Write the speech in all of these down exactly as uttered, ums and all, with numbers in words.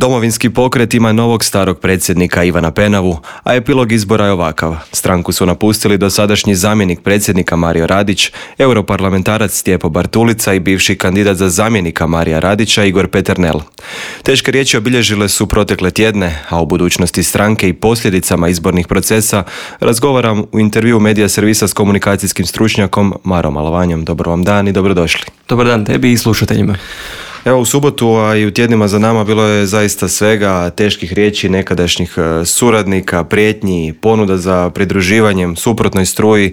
Domovinski pokret ima novog starog predsjednika Ivana Penavu, a epilog izbora je ovakav. Stranku su napustili dosadašnji zamjenik predsjednika Mario Radić, europarlamentarac Stjepo Bartulica i bivši kandidat za zamjenika Marija Radića Igor Peternel. Teške riječi obilježile su protekle tjedne, a o budućnosti stranke i posljedicama izbornih procesa razgovaram u intervjuu medija servisa s komunikacijskim stručnjakom Marom Alovanjom. Dobar vam dan i dobrodošli. Dobar dan tebi i slušateljima. Evo, u subotu, a i u tjednima za nama bilo je zaista svega, teških riječi nekadašnjih suradnika, prijetnji, ponuda za pridruživanjem suprotnoj struji,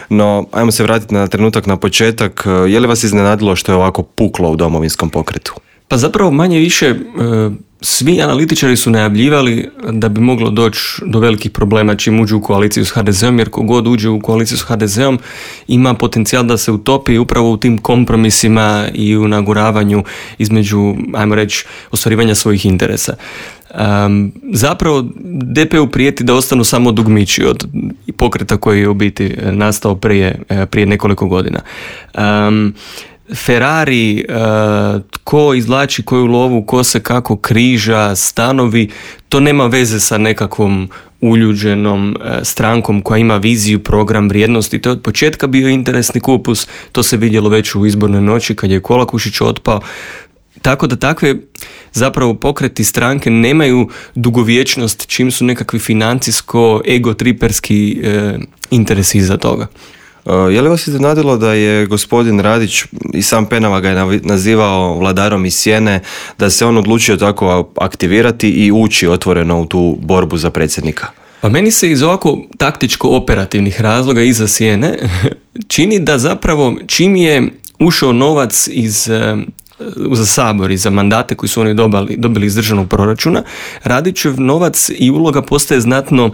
no ajmo se vratiti na trenutak na početak. Je li vas iznenadilo što je ovako puklo u Domovinskom pokretu? Pa zapravo manje više svi analitičari su najavljivali da bi moglo doći do velikih problema čim uđu u koaliciju s ha de zeom, jer kogod uđe u koaliciju s ha de zeom ima potencijal da se utopi upravo u tim kompromisima i u naguravanju između, ajmo reći, ostvarivanja svojih interesa. Um, zapravo de pe u prijeti da ostanu samo dugmići od pokreta koji je u biti nastao prije, prije nekoliko godina. Um, Ferrari, uh, tko izvlači koju lovu, ko se kako križa, stanovi, to nema veze sa nekakvom uljuđenom uh, strankom koja ima viziju, program, vrijednosti. To je od početka bio interesni kupus, to se vidjelo već u izbornoj noći kad je Kolakušić otpao. Tako da takve zapravo pokreti stranke nemaju dugovječnost čim su nekakvi financijsko, egotriperski uh, interesi iza toga. Je li vas iznenadilo da je gospodin Radić, i sam Penava ga je nazivao vladarom iz sjene, da se on odlučio tako aktivirati i ući otvoreno u tu borbu za predsjednika? Pa meni se iz ovako taktičko-operativnih razloga iza sjene čini da zapravo čim je ušao novac iz za Sabor i za mandate koji su oni dobili, dobili iz državnog proračuna, Radićev novac i uloga postaje znatno,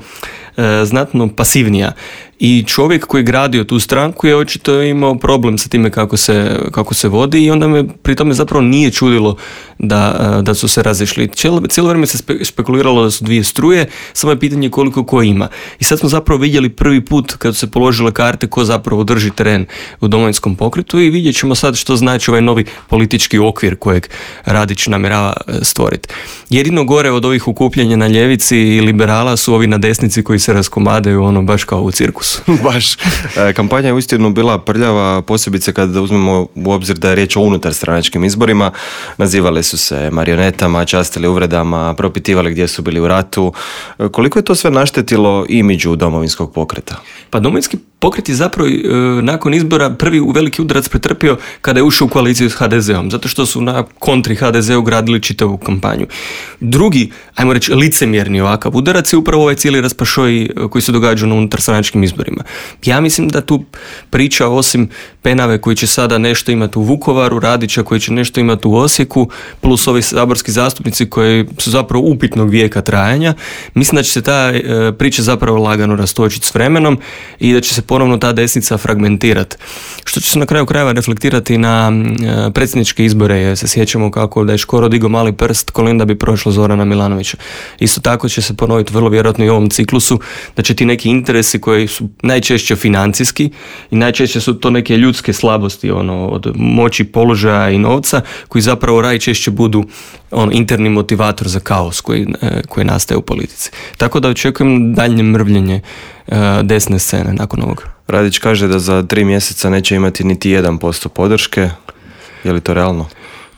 znatno pasivnija. I čovjek koji je gradio tu stranku je očito imao problem sa time kako se, kako se vodi i onda me pri tome zapravo nije čudilo da, da su se razišli. Cijelo, cijelo vrijeme se spe, spekuliralo da su dvije struje, samo je pitanje koliko ko ima. I sad smo zapravo vidjeli prvi put kad su se položile karte ko zapravo drži teren u Domovinskom pokretu i vidjet ćemo sad što znači ovaj novi politički okvir kojeg Radić namjerava stvoriti. Jedino gore od ovih okupljanja na ljevici i liberala su ovi na desnici koji se raskomadaju ono baš kao u cirkusu. Baš. Kampanja je uistinu bila prljava, posebice kada uzmemo u obzir da je riječ o unutar stranačkim izborima. Nazivali su se marionetama, častili uvredama, propitivali gdje su bili u ratu. Koliko je to sve naštetilo imidžu Domovinskog pokreta? Pa Domovinski pokret je zapravo e, nakon izbora prvi u veliki udarac pretrpio kada je ušao u koaliciju s ha de zeom, zato što su na kontri ha de zeu gradili čitavu kampanju. Drugi, ajmo reći, licemjerni ovakav udarac je upravo ovaj cijeli raspašoj koji se događa na unutar stranačkim izborima. Ja mislim da tu priča osim Penave koji će sada nešto imati u Vukovaru, Radića koji će nešto imati u Osijeku, plus ovi saborski zastupnici koji su zapravo upitnog vijeka trajanja, mislim da će se ta e, priča zapravo lagano rastočiti s vremenom i da će se ponovno ta desnica fragmentirati. Što će se na kraju krajeva reflektirati na e, predsjedničke izbore, jer se sjećamo kako da je Škoro digao mali prst, Kolinda bi prošla Zorana Milanovića. Isto tako će se ponoviti vrlo vjerojatno i u ovom ciklusu, da će ti neki interesi koji su najčešće financijski i najčešće su to neke ljudske slabosti, ono, od moći, položaja i novca, koji zapravo najčešće budu on, interni motivator za kaos koji, e, koji nastaje u politici. Tako da očekujem daljnje mrvljenje e, desne scene nakon ovoga. Radić kaže da za tri mjeseca neće imati niti jedan posto podrške. Je li to realno?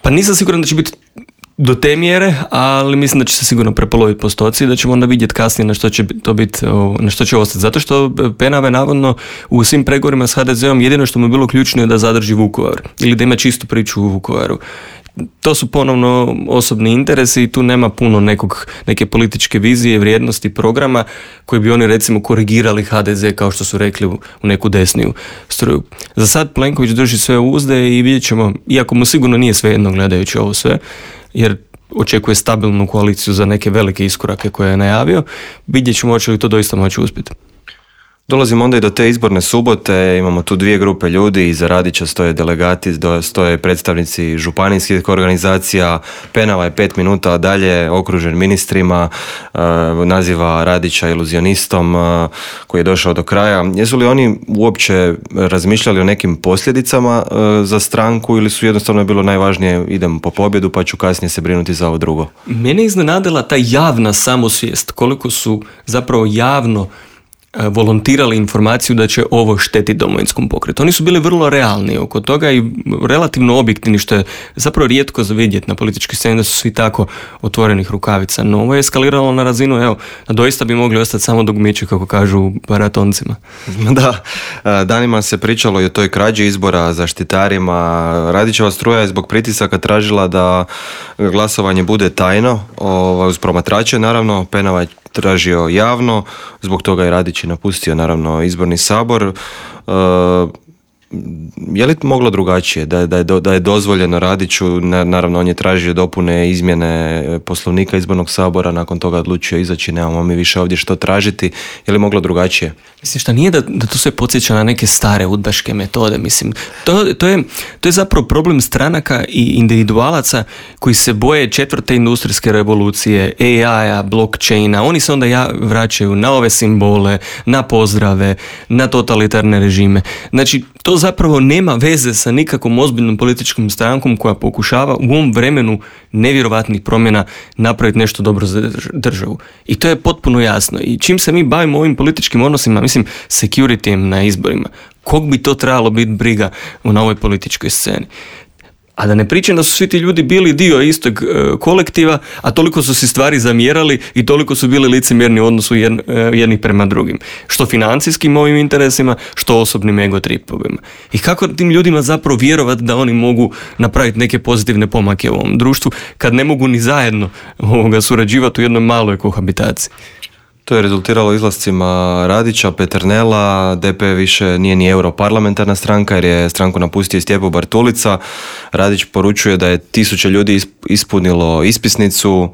Pa nisam siguran da će biti do te mjere, ali mislim da će se sigurno prepoloviti postoci i da ćemo onda vidjeti kasnije na što će to biti, na što će ostati. Zato što Penava je navodno u svim pregovorima s ha de zeom jedino što mu je bilo ključno je da zadrži Vukovar ili da ima čistu priču u Vukovaru. To su ponovno osobni interesi i tu nema puno nekog, neke političke vizije, vrijednosti, programa koji bi oni recimo korigirali ha de ze kao što su rekli u, u neku desniju struju. Za sad Plenković drži sve uzde i vidjet ćemo, iako mu sigurno nije svejedno gledajući ovo sve, jer očekuje stabilnu koaliciju za neke velike iskorake koje je najavio, vidjet ćemo hoće li to doista moći uspjeti. Dolazimo onda i do te izborne subote, imamo tu dvije grupe ljudi, iza Radića stoje delegati, stoje predstavnici županijskih organizacija, Penava je pet minuta dalje okružen ministrima, naziva Radića iluzionistom koji je došao do kraja. Jesu li oni uopće razmišljali o nekim posljedicama za stranku ili su jednostavno bilo najvažnije idem po pobjedu pa ću kasnije se brinuti za ovo drugo? Mene je iznenadila ta javna samosvijest, koliko su zapravo javno volontirali informaciju da će ovo štetiti Domovinskom pokretu. Oni su bili vrlo realni oko toga i relativno objektivni, što je zapravo rijetko za vidjeti na političkoj sceni da su svi tako otvorenih rukavica. No ovo je eskaliralo na razinu, evo, doista bi mogli ostati samo dugmići, kako kažu u maratoncima. Da, danima se pričalo i o toj krađi izbora, zaštitarima. Radićeva struja je zbog pritisaka tražila da glasovanje bude tajno, uz promatrače, naravno. Penava je tražio javno, zbog toga je Radić i napustio naravno izborni sabor. E, je li moglo drugačije? Da, da, je, da je dozvoljeno Radiću, naravno on je tražio dopune, izmjene Poslovnika izbornog sabora, nakon toga odlučio izaći, nemamo mi više ovdje što tražiti. Je li moglo drugačije? Mislim, šta nije da, da to sve podsjeća na neke stare udbaške metode, mislim. To, to, je, to je zapravo problem stranaka i individualaca koji se boje četvrte industrijske revolucije, A I-a, blockchaina. Oni se onda ja vraćaju na ove simbole, na pozdrave, na totalitarne režime. Znači, to zapravo nema veze sa nikakvom ozbiljnom političkom strankom koja pokušava u ovom vremenu nevjerovatnih promjena napraviti nešto dobro za državu. I to je potpuno jasno. I čim se mi bavimo ovim političkim odnosima, mislim, securityjem na izborima, kog bi to trebalo biti briga na ovoj političkoj sceni? A da ne pričam da su svi ti ljudi bili dio istog e, kolektiva, a toliko su si stvari zamjerali i toliko su bili licemjerni u odnosu jedn, e, jednih prema drugim. Što financijskim ovim interesima, što osobnim egotripovima. I kako tim ljudima zapravo vjerovati da oni mogu napraviti neke pozitivne pomake u ovom društvu, kad ne mogu ni zajedno ovoga surađivati u jednoj maloj kohabitaciji. To je rezultiralo izlascima Radića, Peternela, D P više nije ni europarlamentarna stranka jer je stranku napustio Stjepo Bartulica. Radić poručuje da je tisuće ljudi ispunilo ispisnicu,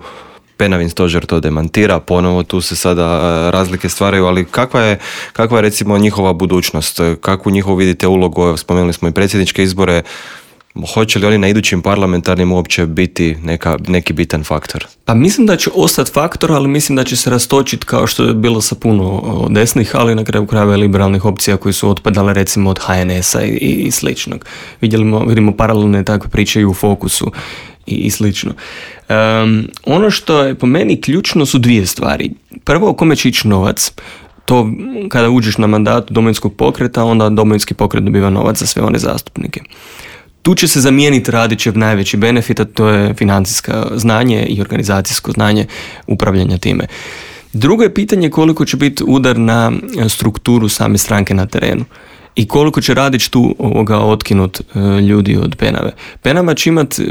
Penavin stožer to demantira, ponovo tu se sada razlike stvaraju, ali kakva je, kakva je recimo njihova budućnost, kakvu njihovu vidite ulogu, spomenuli smo i predsjedničke izbore, hoće li oni na idućim parlamentarnim uopće biti neka, neki bitan faktor? Pa mislim da će ostati faktor, ali mislim da će se rastočiti kao što je bilo sa puno desnih, ali na kraju krajeva liberalnih opcija koji su otpadale recimo od H N S-a i, i sličnog. Vidimo, vidimo paralelne takve priče i u Fokusu i, i slično. Um, ono što je po meni ključno su dvije stvari. Prvo, kome će ići novac. To kada uđeš na mandatu Domovinskog pokreta, onda Domovinski pokret dobiva novac za sve one zastupnike. Tu će se zamijeniti Radićev najveći benefit, a to je financijsko znanje i organizacijsko znanje upravljanja time. Drugo je pitanje koliko će biti udar na strukturu same stranke na terenu i koliko će Radić tu ovoga otkinut e, ljudi od Penave. Penava će imati e,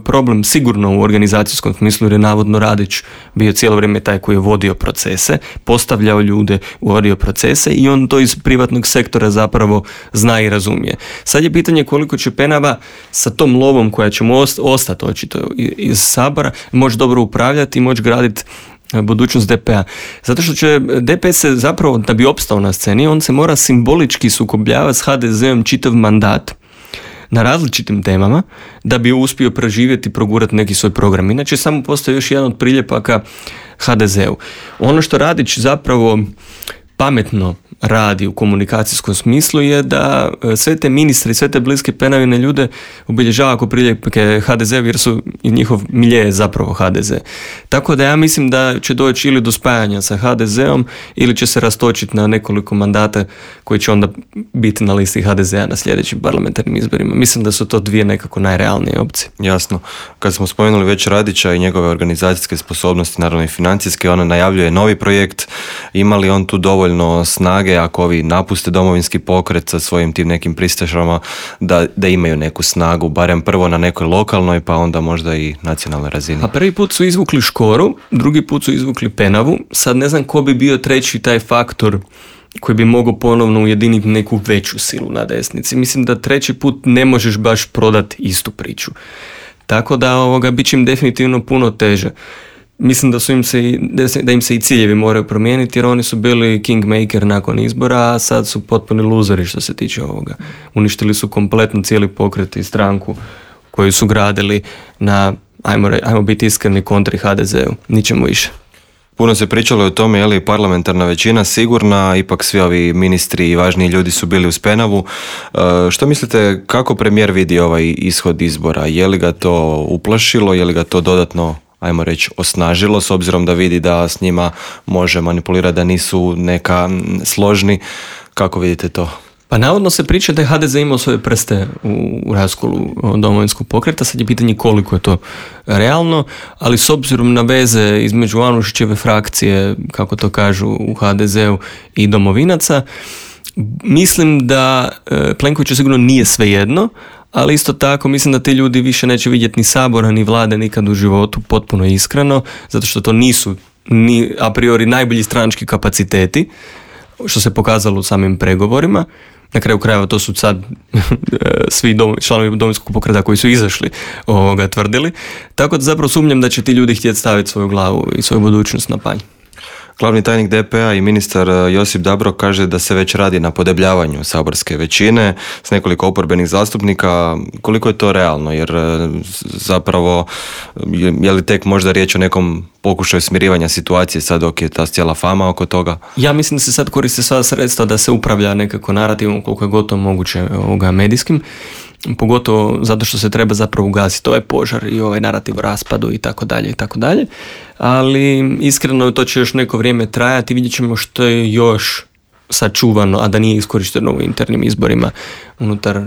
problem sigurno u organizacijskom smislu jer je navodno Radić bio cijelo vrijeme taj koji je vodio procese, postavljao ljude, vodio procese i on to iz privatnog sektora zapravo zna i razumije. Sad je pitanje koliko će Penava sa tom lovom koja će mu ostati očito iz Sabora moći dobro upravljati i moći graditi budućnost D P-a. Zato što će D P se zapravo, da bi opstao na sceni, on se mora simbolički sukobljavati s H D Z-om čitav mandat na različitim temama da bi uspio preživjeti i progurati neki svoj program. Inače, samo postoji još jedan od priljepaka H D Z-u. Ono što Radić zapravo pametno radi u komunikacijskom smislu je da sve te ministre i sve te bliske Penavine ljude obilježava ako priljepke H D Z jer su i njihov milje je zapravo H D Z. Tako da ja mislim da će doći ili do spajanja sa H D Z-om ili će se rastočiti na nekoliko mandata koji će onda biti na listi H D Z-a na sljedećim parlamentarnim izborima. Mislim da su to dvije nekako najrealnije opcije. Jasno. Kad smo spomenuli već Radića i njegove organizacijske sposobnosti, naravno i financijske, on najavljuje novi projekt. Ima li on tu dovoljno snage ako ovi napuste Domovinski pokret sa svojim tim nekim pristašama da, da imaju neku snagu, barem prvo na nekoj lokalnoj pa onda možda i nacionalnoj razini? A prvi put su izvukli Škoru, drugi put su izvukli Penavu, sad ne znam ko bi bio treći taj faktor koji bi mogao ponovno ujediniti neku veću silu na desnici. Mislim da treći put ne možeš baš prodati istu priču. Tako da ovoga bit će im definitivno puno teže. mislim da su im se, i- da se- da im se i ciljevi moraju promijeniti, jer oni su bili kingmaker nakon izbora, a sad su potpuni luzeri što se tiče ovoga. Uništili su kompletno cijeli pokret i stranku koju su gradili na, ajmo, re- ajmo biti iskreni, kontri ha de zeu, ničemu više. Puno se pričalo o tome je li parlamentarna većina sigurna, ipak svi ovi ministri i važniji ljudi su bili uz penavu. E, što mislite, kako premijer vidi ovaj ishod izbora? Je li ga to uplašilo, je li ga to dodatno, ajmo reći, osnažilo, s obzirom da vidi da s njima može manipulirati, da nisu neka mm, složni? Kako vidite to? Pa navodno se priča da je ha de ze imao svoje prste u, u raskolu Domovinskog pokreta, sad je pitanje koliko je to realno, ali s obzirom na veze između Anušićeve frakcije, kako to kažu u ha de zeu, i domovinaca, mislim da e, Plenkoviću sigurno nije svejedno, ali isto tako mislim da ti ljudi više neće vidjeti ni Sabora ni vlade nikad u životu, potpuno iskreno, zato što to nisu ni a priori najbolji stranački kapaciteti, što se pokazalo u samim pregovorima. Na kraju krajeva to su sad svi dom, članovi Domovinskog pokreta koji su izašli ovoga tvrdili. Tako da zapravo sumnjam da će ti ljudi htjeti staviti svoju glavu i svoju budućnost na panj. Glavni tajnik de pe a i ministar e, Josip Dabro kaže da se već radi na podebljavanju saborske većine s nekoliko oporbenih zastupnika. Koliko je to realno? Jer e, zapravo je, je li tek možda riječ o nekom pokušaju smirivanja situacije sad dok je ta cijela fama oko toga? Ja mislim da se sad koriste sva sredstva da se upravlja nekako narativom koliko je gotovo moguće ovoga medijskim, pogotovo zato što se treba zapravo ugasiti ovaj požar i ovaj narativ o raspadu i tako dalje i tako dalje, ali iskreno to će još neko vrijeme trajati, vidjet ćemo što je još sačuvano, a da nije iskorišteno u internim izborima unutar uh,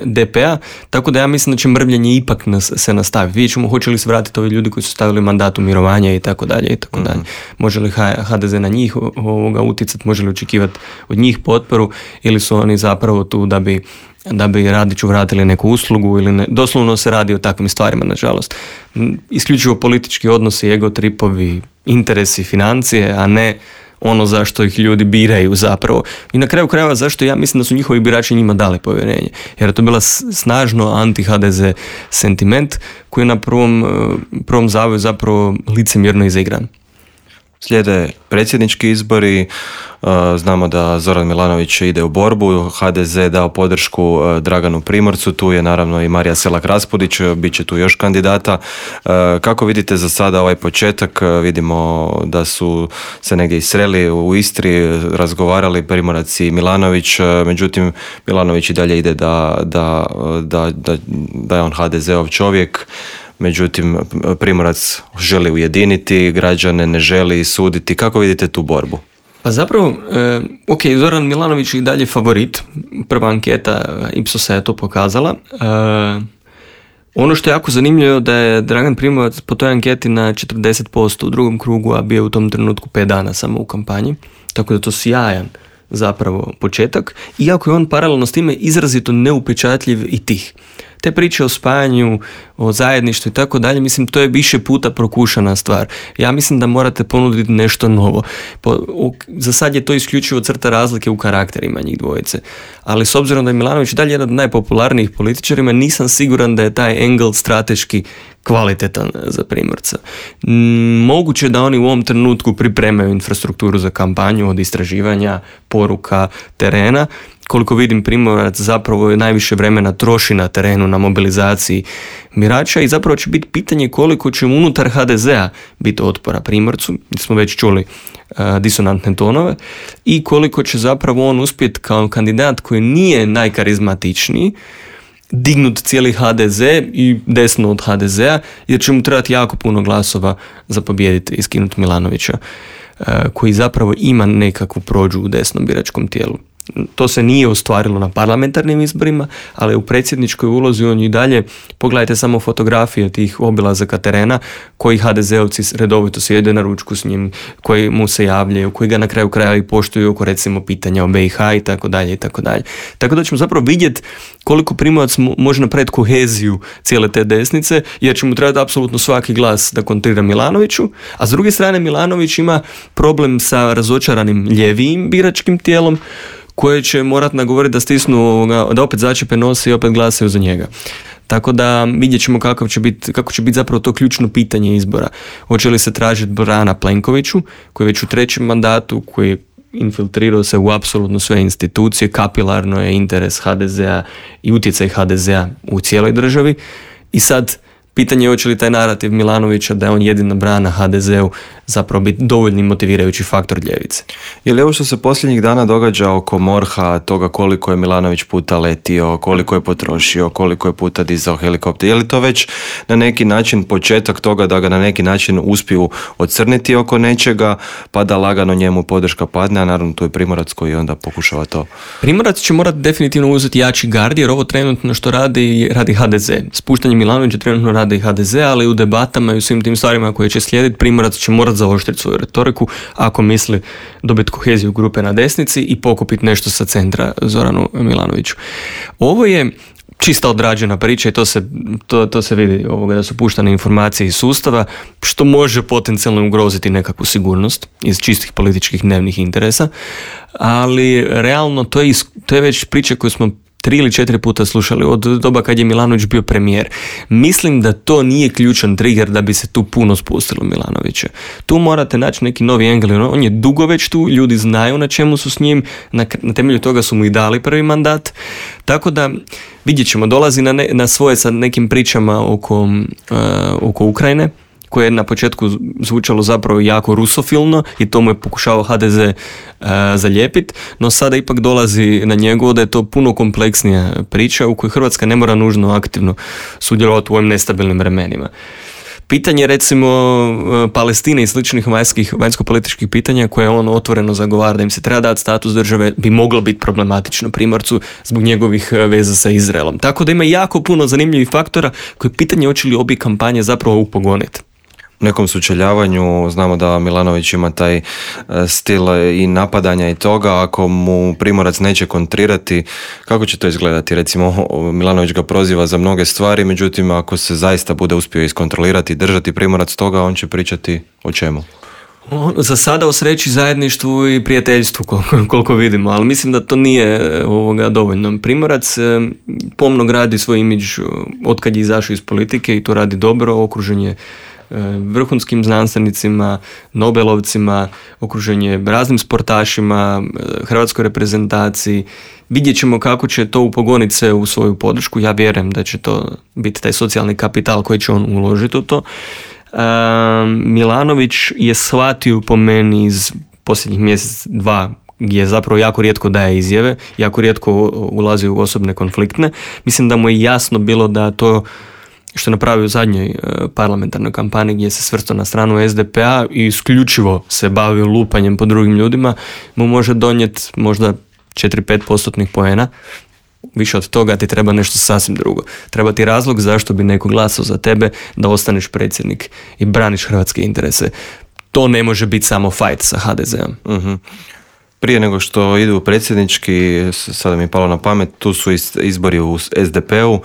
de pe a, tako da ja mislim da će mrvljenje ipak nas, se nastaviti. Vidjet ćemo hoće li se vratiti ovi ljudi koji su stavili mandat u mirovanje i tako dalje i tako dalje. Može li ha de ze na njih ovoga utjecati, može li očekivati od njih potporu ili su oni zapravo tu da bi da bi Radiću vratili neku uslugu ili ne. Doslovno se radi o takvim stvarima, nažalost. Isključivo politički odnosi, ego tripovi, interesi, financije, a ne ono zašto ih ljudi biraju zapravo. I na kraju krajeva zašto ja mislim da su njihovi birači njima dali povjerenje. Jer je to bila snažno anti-ha de ze sentiment koji je na prvom, prvom zavoju zapravo licemjerno izigran. Slijede predsjednički izbori, znamo da Zoran Milanović ide u borbu, ha de ze dao podršku Draganu Primorcu, tu je naravno i Marija Selak-Raspudić, bit će tu još kandidata. Kako vidite za sada ovaj početak? Vidimo da su se negdje i sreli u Istri, razgovarali Primorac i Milanović, međutim Milanović i dalje ide da, da, da, da, da je on ha de zeov čovjek. Međutim, Primorac želi ujediniti građane, ne želi suditi. Kako vidite tu borbu? Pa zapravo, e, ok, Zoran Milanović je i dalje favorit. Prva anketa Ipsosa je to pokazala. E, ono što je jako zanimljivo da je Dragan Primorac po toj anketi na četrdeset posto u drugom krugu, a bio je u tom trenutku pet dana samo u kampanji. Tako da je to sjajan zapravo početak. Iako je on paralelno s time izrazito neupečatljiv i tih. Te priče o spajanju, o zajedništvu i tako dalje, mislim, to je više puta prokušana stvar. Ja mislim da morate ponuditi nešto novo. Po, o, za sad je to isključivo crta razlike u karakterima njih dvojice. Ali s obzirom da je Milanović dalje jedan od najpopularnijih političarima, nisam siguran da je taj angle strateški kvalitetan za Primorca. Mm, moguće da oni u ovom trenutku pripremaju infrastrukturu za kampanju od istraživanja, poruka, terena. Koliko vidim, Primorac zapravo je najviše vremena troši na terenu, na mobilizaciji birača i zapravo će biti pitanje koliko će unutar ha de ze a biti otpora Primorcu, mi smo već čuli uh, disonantne tonove, i koliko će zapravo on uspjeti kao kandidat koji nije najkarizmatičniji dignut cijeli ha de ze i desno od ha de ze a, jer će mu trebati jako puno glasova za pobijediti i skinuti Milanovića, uh, koji zapravo ima nekakvu prođu u desnom biračkom tijelu. To se nije ostvarilo na parlamentarnim izborima, ali u predsjedničkoj ulozi on i dalje, pogledajte samo fotografije tih obilazaka terena, koji ha de zeovci redovito sjede na ručku s njim, koji mu se javljaju, koji ga na kraju kraja i poštuju oko recimo pitanja o be i ha i tako dalje i tako dalje. Tako da ćemo zapravo vidjeti koliko Primorac može napraviti koheziju cijele te desnice, jer će mu trebati apsolutno svaki glas da kontrira Milanoviću, a s druge strane Milanović ima problem sa razočaranim ljevijim biračkim tijelom, koje će morat nagovoriti da stisnu, da opet začepe nos i opet glasaju za njega. Tako da vidjet ćemo kako će biti, kako će biti zapravo to ključno pitanje izbora. Hoće li se tražiti brana Plenkoviću, koji je već u trećem mandatu, koji je infiltrirao se u apsolutno sve institucije, kapilarno je interes ha de zea i utjecaj ha de zea u cijeloj državi. I sad pitanje je hoće li taj narativ Milanovića da je on jedina brana ha de zeu zapravo biti dovoljni motivirajući faktor ljevice. Je li ovo što se posljednjih dana događa oko morha, toga koliko je Milanović puta letio, koliko je potrošio, koliko je puta dizao helikopter, je li to već na neki način početak toga da ga na neki način uspiju ocrniti oko nečega, pa da lagano njemu podrška padne, a naravno tu je Primorac koji onda pokušava to. Primorac će morati definitivno uzeti jači gard, jer ovo trenutno što radi, radi ha de ze. Spuštanje Milanovića trenutno radi ha de ze, ali u debatama i u svim tim stvarima koje će slijediti, Primorac će morati zaoštriti svoju retoriku ako misli dobiti koheziju grupe na desnici i pokupiti nešto sa centra Zoranu Milanoviću. Ovo je čista odrađena priča i to se, to, to se vidi ovoga, da su puštane informacije iz sustava, što može potencijalno ugroziti nekakvu sigurnost iz čistih političkih dnevnih interesa, ali realno to je, to je već priča koju smo tri ili četiri puta slušali od doba kad je Milanović bio premijer. Mislim da to nije ključan trigger da bi se tu puno spustilo Milanovića. Tu morate naći neki novi engel. On je dugo već tu, ljudi znaju na čemu su s njim, na, na temelju toga su mu i dali prvi mandat. Tako da vidjet ćemo, dolazi na, ne, na svoje sa nekim pričama oko, uh, oko Ukrajine, koje je na početku zvučalo zapravo jako rusofilno i to mu je pokušao ha de ze uh, zalijepiti, no sada ipak dolazi na njegovo da je to puno kompleksnija priča u kojoj Hrvatska ne mora nužno aktivno sudjelovati u ovim nestabilnim vremenima. Pitanje recimo Palestine i sličnih vanjskih, vanjsko-političkih pitanja koje on otvoreno zagovara da im se treba dati status države bi moglo biti problematično Primorcu zbog njegovih veza sa Izraelom. Tako da ima jako puno zanimljivih faktora koje pitanje hoće li obje kampanje zapravo upogoniti. U nekom sučeljavanju znamo da Milanović ima taj stil i napadanja i toga, ako mu Primorac neće kontrirati, kako će to izgledati? Recimo, Milanović ga proziva za mnoge stvari, međutim, ako se zaista bude uspio iskontrolirati i držati Primorac toga, on će pričati o čemu? Za sada o sreći, zajedništvu i prijateljstvu koliko, koliko vidimo, ali mislim da to nije ovoga dovoljno. Primorac pomno gradi svoj imidž otkad je izašao iz politike i to radi dobro, okružen je vrhunskim znanstvenicima, Nobelovcima, okruženje raznim sportašima, hrvatskoj reprezentaciji. Vidjet ćemo kako će to upogoniti se u svoju podršku. Ja vjerujem da će to biti taj socijalni kapital koji će on uložiti u to. Milanović je shvatio po meni iz posljednjih mjesec, dva, gdje zapravo jako rijetko daje izjave, jako rijetko ulazi u osobne konfliktne. Mislim da mu je jasno bilo da to što je napravio u zadnjoj parlamentarnoj kampanji gdje se svrstao na stranu es de pe a i isključivo se bavio lupanjem po drugim ljudima, mu može donijeti možda četiri do pet postotnih poena. Više od toga ti treba nešto sasvim drugo. Treba ti razlog zašto bi neko glasao za tebe da ostaneš predsjednik i braniš hrvatske interese. To ne može biti samo fight sa ha de zeom. Uh-huh. Prije nego što idu u predsjednički, sada mi je palo na pamet, tu su izbori u es de pe u, uh,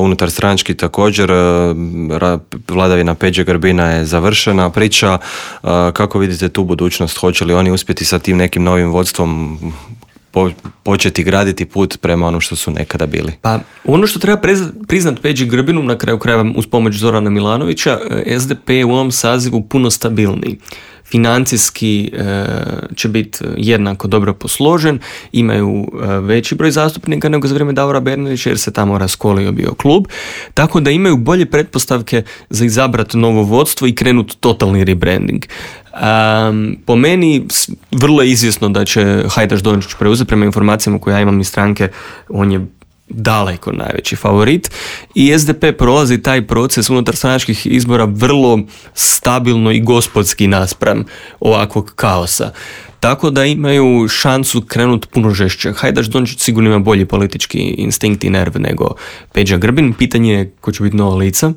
unutar stranački također, uh, vladavina Peđe Grbina je završena priča. Uh, kako vidite tu budućnost? Hoće li oni uspjeti sa tim nekim novim vodstvom po, početi graditi put prema ono što su nekada bili? Pa ono što treba priznat Peđi Grbinu, na kraju krajeva uz pomoć Zorana Milanovića, es de pe je u ovom sazivu puno stabilniji. Financijski e, će biti jednako dobro posložen, imaju e, veći broj zastupnika nego za vrijeme Davora Bernardića jer se tamo raskolio bio klub, tako da imaju bolje pretpostavke za izabrati novo vodstvo i krenuti totalni rebranding. Um, po meni vrlo je izvjesno da će Hajdaš Dončić preuzeti, prema informacijama koje ja imam iz stranke, on je daleko najveći favorit i es de pe prolazi taj proces unutar stranačkih izbora vrlo stabilno i gospodski naspram ovakvog kaosa. Tako da imaju šansu krenuti puno žešće. Hajdaš Dončić sigurno ima bolji politički instinkt i nerv nego Peđa Grbin. Pitanje je ko će biti nova lica,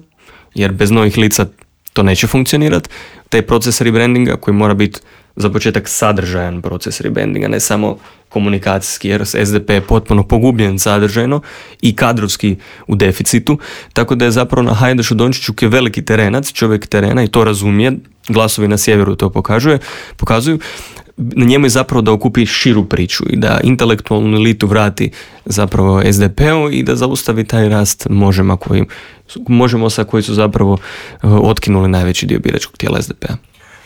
jer bez novih lica to neće funkcionirati. Taj proces rebrandinga koji mora biti za početak sadržajan proces rebrandinga, ne samo komunikacijski, jer es de pe je potpuno pogubljen sadržajno i kadrovski u deficitu, tako da je zapravo na Hajdašu Dončiću koji je veliki terenac, čovjek terena i to razumije, glasovi na sjeveru to pokazuje, pokazuju, na njemu je zapravo da okupi širu priču i da intelektualnu elitu vrati zapravo es de pe-u i da zaustavi taj rast možemo, koji, možemo sa koji su zapravo otkinuli najveći dio biračkog tijela es de pe-a.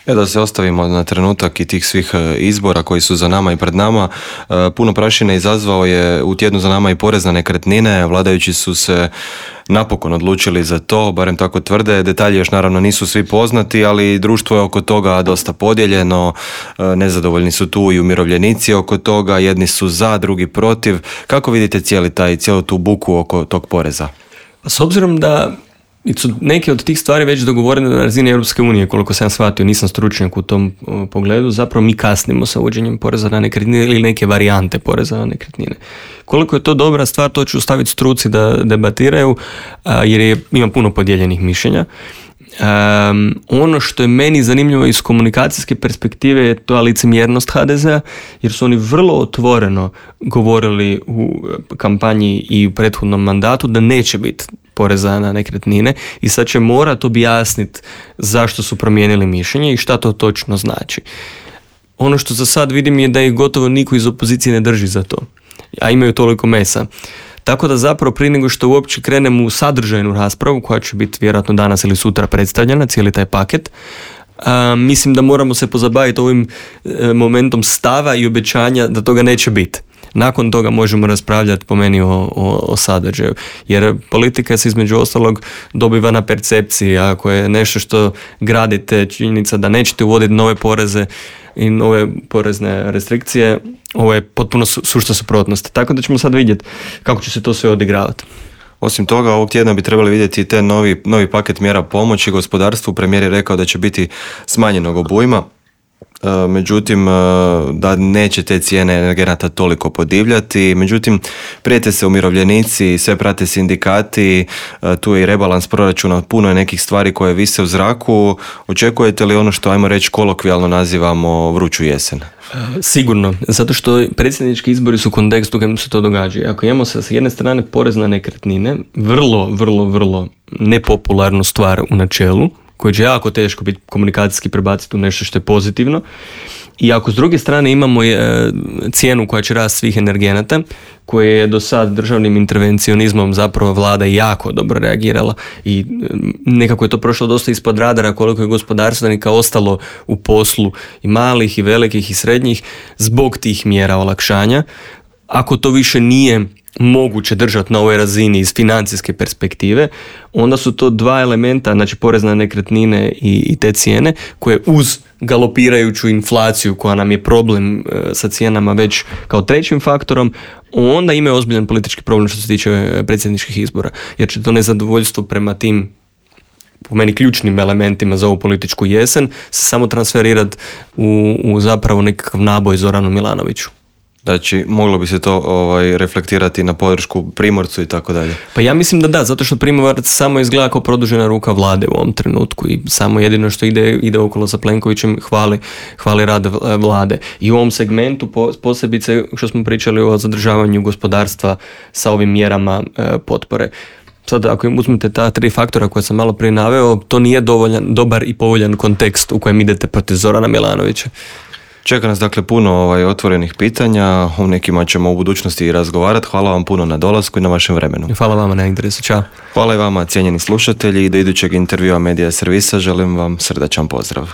E da se ostavimo na trenutak i tih svih izbora koji su za nama i pred nama. Puno prašine izazvao je u tjednu za nama i porez na nekretnine. Vladajući su se napokon odlučili za to, barem tako tvrde. Detalji još naravno nisu svi poznati, ali društvo je oko toga dosta podijeljeno. Nezadovoljni su tu i umirovljenici oko toga. Jedni su za, drugi protiv. Kako vidite cijeli taj, cijelu tu buku oko tog poreza? S obzirom da su neke od tih stvari već dogovorene na razini Europske unije, koliko sam shvatio, nisam stručnjak u tom o, pogledu, zapravo mi kasnimo sa uvođenjem poreza na nekretnine ili neke varijante poreza na nekretnine. Koliko je to dobra stvar, to ću staviti struci da debatiraju, a, jer je, ima puno podijeljenih mišljenja. Um, ono što je meni zanimljivo iz komunikacijske perspektive je to licemjernost ha de zea, jer su oni vrlo otvoreno govorili u kampanji i u prethodnom mandatu da neće biti poreza na nekretnine i sad će morati objasniti zašto su promijenili mišljenje i šta to točno znači. Ono što za sad vidim je da ih gotovo niko iz opozicije ne drži za to, a imaju toliko mesa. Tako da zapravo prije nego što uopće krenemo u sadržajnu raspravu koja će biti vjerojatno danas ili sutra predstavljena, cijeli taj paket, a, mislim da moramo se pozabaviti ovim e, momentom stava i obećanja da toga neće biti. Nakon toga možemo raspravljati po meni o, o, o sadržaju. Jer politika se između ostalog dobiva na percepciji. Ako je nešto što gradite, činjenica da nećete uvoditi nove poreze i nove porezne restrikcije, ovo je potpuno su, sušta suprotnost. Tako da ćemo sad vidjeti kako će se to sve odigravati. Osim toga, ovog tjedna bi trebali vidjeti te novi, novi paket mjera pomoći gospodarstvu. Premijer je rekao da će biti smanjenog obujma. Međutim, da neće te cijene energenata toliko podivljati. Međutim, prijete se umirovljenici, sve prate sindikati, tu je i rebalans proračuna, puno je nekih stvari koje vise u zraku. Očekujete li ono što, ajmo reći, kolokvijalno nazivamo vruću jesen? Sigurno, zato što predsjednički izbori su u kontekstu u kojem se to događa. Ako imamo sa jedne strane porez na nekretnine, vrlo, vrlo, vrlo nepopularnu stvar u načelu, koje će jako teško biti komunikacijski prebaciti u nešto što je pozitivno. I ako s druge strane imamo e, cijenu koja će rasti svih energenata, koje je do sad državnim intervencionizmom zapravo vlada jako dobro reagirala i e, nekako je to prošlo dosta ispod radara koliko je gospodarstvenika ostalo u poslu i malih i velikih i srednjih zbog tih mjera olakšanja. Ako to više nije moguće držati na ovoj razini iz financijske perspektive, onda su to dva elementa, znači porez na nekretnine i, i te cijene, koje uz galopirajuću inflaciju koja nam je problem e, sa cijenama već kao trećim faktorom, onda imaju ozbiljan politički problem što se tiče predsjedničkih izbora, jer će to nezadovoljstvo prema tim po meni ključnim elementima za ovu političku jesen se samo transferirati u, u zapravo nekakav naboj Zoranu Milanoviću. Znači, moglo bi se to ovaj, reflektirati na podršku Primorcu i tako dalje. Pa ja mislim da da, zato što Primorac samo izgleda kao produžena ruka vlade u ovom trenutku i samo jedino što ide, ide okolo sa Plenkovićem hvali, hvali rad vlade. I u ovom segmentu posebice što smo pričali o zadržavanju gospodarstva sa ovim mjerama e, potpore. Sad, ako im uzmete ta tri faktora koje sam malo prije naveo, to nije dovoljan, dobar i povoljan kontekst u kojem idete protiv Zorana Milanovića. Čeka nas dakle puno ovaj, otvorenih pitanja, o nekima ćemo u budućnosti i razgovarati. Hvala vam puno na dolasku i na vašem vremenu. Hvala vama na interesu, čao. Hvala i vama, cijenjeni slušatelji, i do idućeg intervjua Medija servisa želim vam srdačan pozdrav.